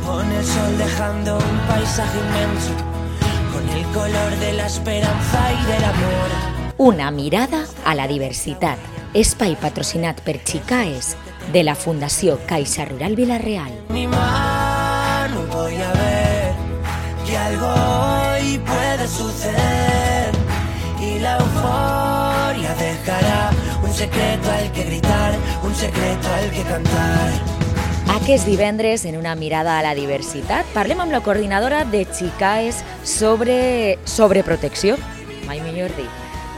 con el sol dejando un paisaje inmenso, con el color de la esperanza y del amor. Una mirada a la diversitat. Espai patrocinat per Chicaes de la Fundació Caixa Rural Vila-real. Mi mano voy a ver que algo hoy puede suceder y la euforia dejará un secreto al que gritar, un secreto al que cantar. Aquest divendres, en una mirada a la diversitat, parlem amb la coordinadora de Chicaes sobre protecció, mai millor dit.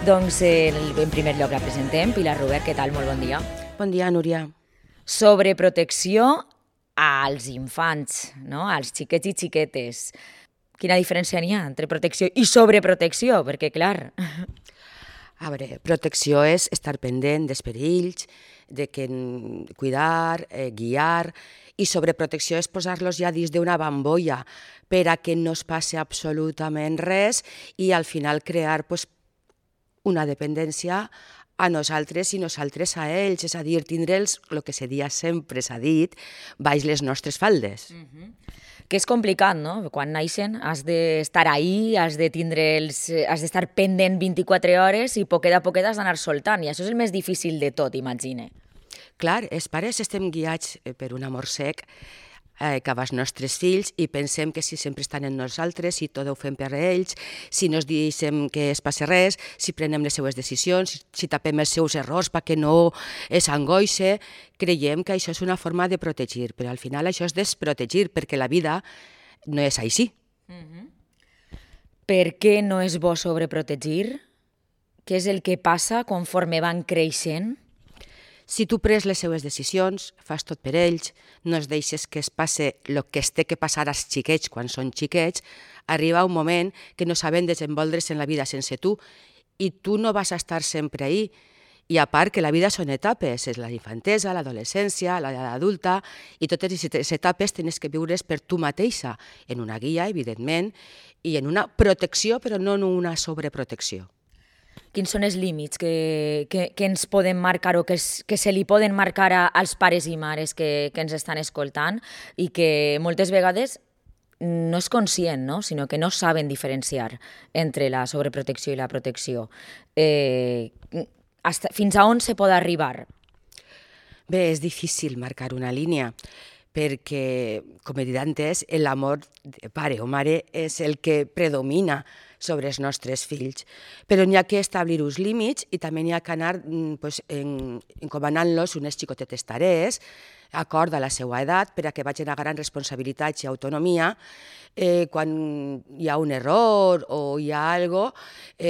Doncs en primer lloc la presentem. Pilar Rubert, què tal? Molt bon dia. Bon dia, Núria. Sobre protecció als infants, no? Als xiquets i xiquetes. Quina diferència n'hi ha entre protecció i sobreprotecció? Perquè, clar... A veure, protecció és estar pendent dels perills, de cuidar, guiar, i sobreprotecció és posar-los ja dins d'una bambolla per a que no es passi absolutament res i al final crear una dependència a nosaltres i nosaltres a ells, és a dir, tindre'ls, el que sempre s'ha dit, baix les nostres faldes. Que és complicat, no? Quan naixen has d'estar ahí, has d'estar pendent 24 hores i poquet a poquet has d'anar soltant, i això és el més difícil de tot, imagine. Clar, els pares estem guiats per un amor sec cap als nostres fills i pensem que si sempre estan en nosaltres, si tot ho fem per ells, si no es deixem que es passi res, si prenem les seues decisions, si tapem els seus errors perquè no s'angoixe, creiem que això és una forma de protegir, però al final això és desprotegir, perquè la vida no és així. Per què no és bo sobreprotegir? Què és el que passa conforme van creixent? Si tu pres les seues decisions, fas tot per ells, no es deixes que es passe el que es té que passar als xiquets quan són xiquets, arriba un moment que no saben desenvolvre's en la vida sense tu i tu no vas a estar sempre ahí. I a part que la vida són etapes, és la infantesa, l'adolescència, l'edat adulta, i totes aquestes etapes tens que viure's per tu mateixa, en una guia, evidentment, i en una protecció, però no en una sobreprotecció. Quins són els límits que ens poden marcar o que se li poden marcar als pares i mares que ens estan escoltant i que moltes vegades no és conscient, no? Sinó que no saben diferenciar entre la sobreprotecció i la protecció? Fins a on se pot arribar? Bé, és difícil marcar una línia, perquè, com he dit antes, l'amor de pare o mare és el que predomina sobre els nostres fills. Però n'hi ha que establir uns límits i també n'hi ha que anar encomanant-los unes xicotetes tarees, acord a la seva edat, per a que vagin agarrant responsabilitats i autonomia. Quan hi ha un error o hi ha alguna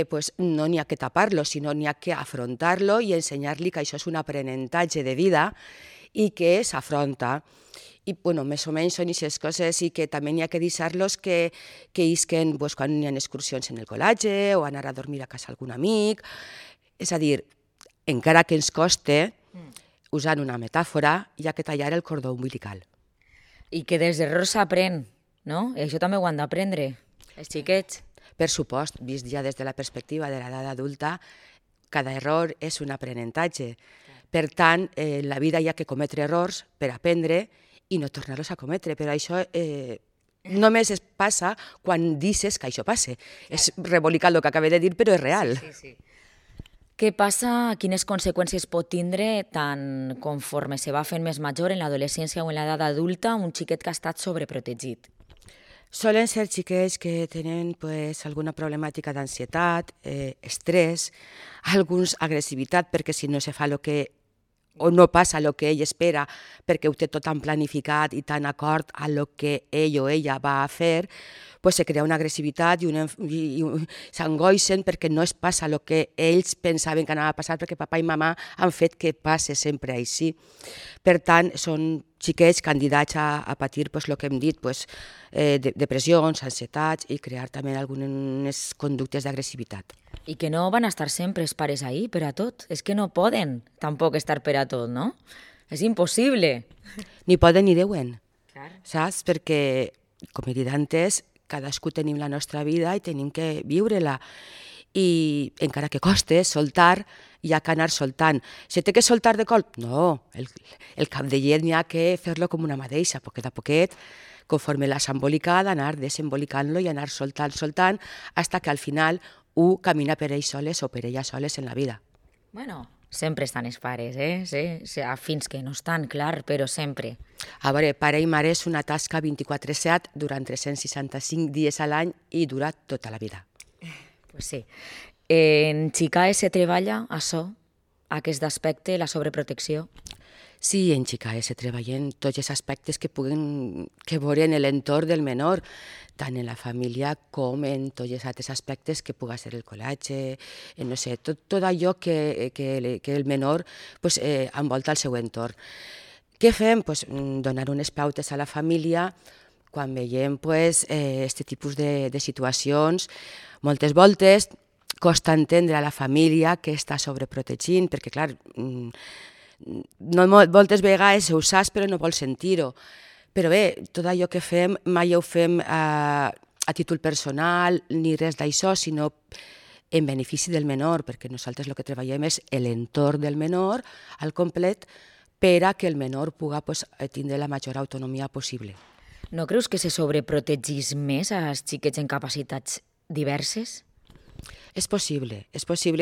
cosa, no n'hi ha que tapar-lo, sinó n'hi ha que afrontar-lo i ensenyar-li que això és un aprenentatge de vida i que s'afronta. I, més o menys són aquestes coses i que també n'hi ha que deixar-los que isquen quan hi ha excursions en el col·legi o anar a dormir a casa d'algun amic. És a dir, encara que ens coste, usant una metàfora, hi ha que tallar el cordó umbilical. I que dels errors s'aprèn, no? I això també ho han d'aprendre, els xiquets. Per supost, vist ja des de la perspectiva de l'edat adulta, cada error és un aprenentatge. Per tant, en la vida hi ha que cometre errors per aprendre i no tornar-los a cometre, però això només es passa quan dices que això passe. És rebolicat el que acabo de dir, però és real. Sí. Què passa, quines conseqüències pot tindre tant conforme se va fent més major en l'adolescència o en l'edat adulta un xiquet que ha estat sobreprotegit? Solen ser xiquets que tenen alguna problemàtica d'ansietat, estrès, alguns agressivitat, perquè si no se fa o no passa el que ell espera perquè ho té tot tan planificat i tan acord a el que ell o ella va a fer, se crea una agressivitat i s'angoixen perquè no es passa el que ells pensaven que anava a passar perquè papa i mamà han fet que passe sempre així. Per tant, són xiquets candidats a patir el que hem dit, depressions, ansietats i crear també algunes conductes d'agressivitat. I que no van estar sempre els pares ahí per a tot. És que no poden tampoc estar per a tot, no? És impossible. Ni poden ni deuen, saps? Perquè, com he dit antes, cadascú tenim la nostra vida i tenim que viure-la. I encara que coste soltar, hi ha que anar soltant. Se té que soltar de colp? No, el cap de llet n'hi ha que fer-lo com una mateixa, poquet a poquet, conforme l'has embolicat, anar desembolicant-lo i anar soltant, hasta que al final camina per ells soles o per elles soles en la vida. Bueno, sempre estan els pares, Sí, fins que no estan, clar, però sempre. A veure, pare i mare és una tasca 24/7 durant 365 dies a l'any i dura tota la vida. Pues sí. En Xicae se treballa això, aquest aspecte, la sobreprotecció? Sí, en Xicae se treballen tots els aspectes que veuren l'entorn del menor, tant en la família com en tots els altres aspectes que pugui ser el col·legi, no sé, tot allò que el menor envolta el seu entorn. Què fem? Donar unes pautes a la família quan veiem aquest tipus de situacions. Moltes voltes costa entendre a la família que està sobreprotegint, perquè, clar, moltes vegades ho saps però no vols sentir-ho. Però bé, tot allò que fem mai ho fem a títol personal ni res d'això, sinó en benefici del menor, perquè nosaltres el que treballem és l'entorn del menor al complet per a que el menor pugui tindre la major autonomia possible. No creus que se sobreprotegís més als xiquets en capacitats diverses? És possible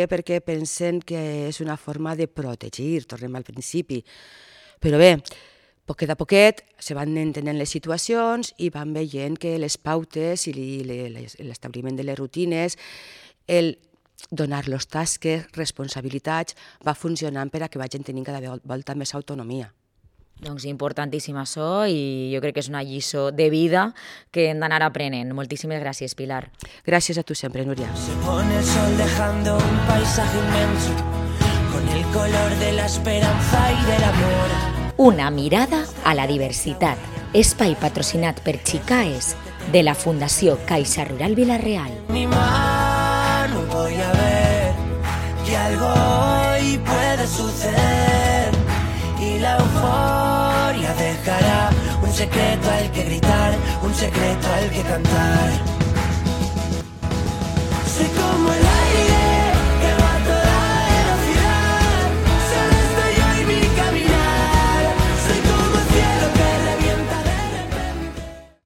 perquè pensen que és una forma de protegir, tornem al principi. Però bé, poquet a poquet se van entenent les situacions i van veient que les pautes i l'establiment de les rutines, el donar-los tasques, responsabilitats, va funcionant per a que vagin tenint cada volta més autonomia. Doncs importantíssim això i jo crec que és una lliçó de vida que hem d'anar aprenent. Moltíssimes gràcies, Pilar. Gràcies a tu sempre, Núria. Se pone el sol dejando un paisaje inmenso con el color de la esperanza y del amor. Una mirada a la diversitat. Espai patrocinat per Xicaes de la Fundació Caixa Rural Vila-real. Mi mano voy a ver que algo hoy puede suceder y la euforia dejará un secreto al que gritar, un secreto al que cantar. Soy como el aire